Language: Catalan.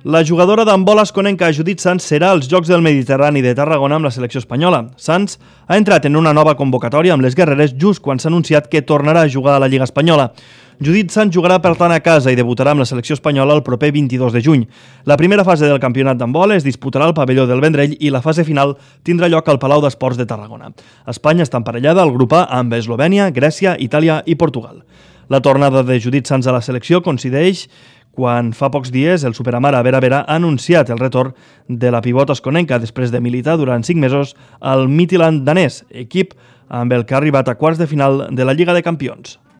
La jugadora d'handbol asconenca Judit Sans serà als Jocs del Mediterrani de Tarragona amb la selecció espanyola. Sans ha entrat en una nova convocatòria amb les guerreres just quan s'ha anunciat que tornarà a jugar a la Lliga Espanyola. Judit Sans jugarà per tant a casa i debutarà amb la selecció espanyola el proper 22 de juny. La primera fase del campionat d'handbol es disputarà al pavelló del Vendrell i la fase final tindrà lloc al Palau d'Esports de Tarragona. Espanya està emparellada al grup A amb Eslovènia, Grècia, Itàlia i Portugal. La tornada de Judit Sans a la selecció coincideix quan fa pocs dies el superamare Vera Vera ha anunciat el retorn de la pivot asconenca després de militar durant 5 mesos al Midtjylland danès, equip amb el que ha arribat a quarts de final de la Lliga de Campions.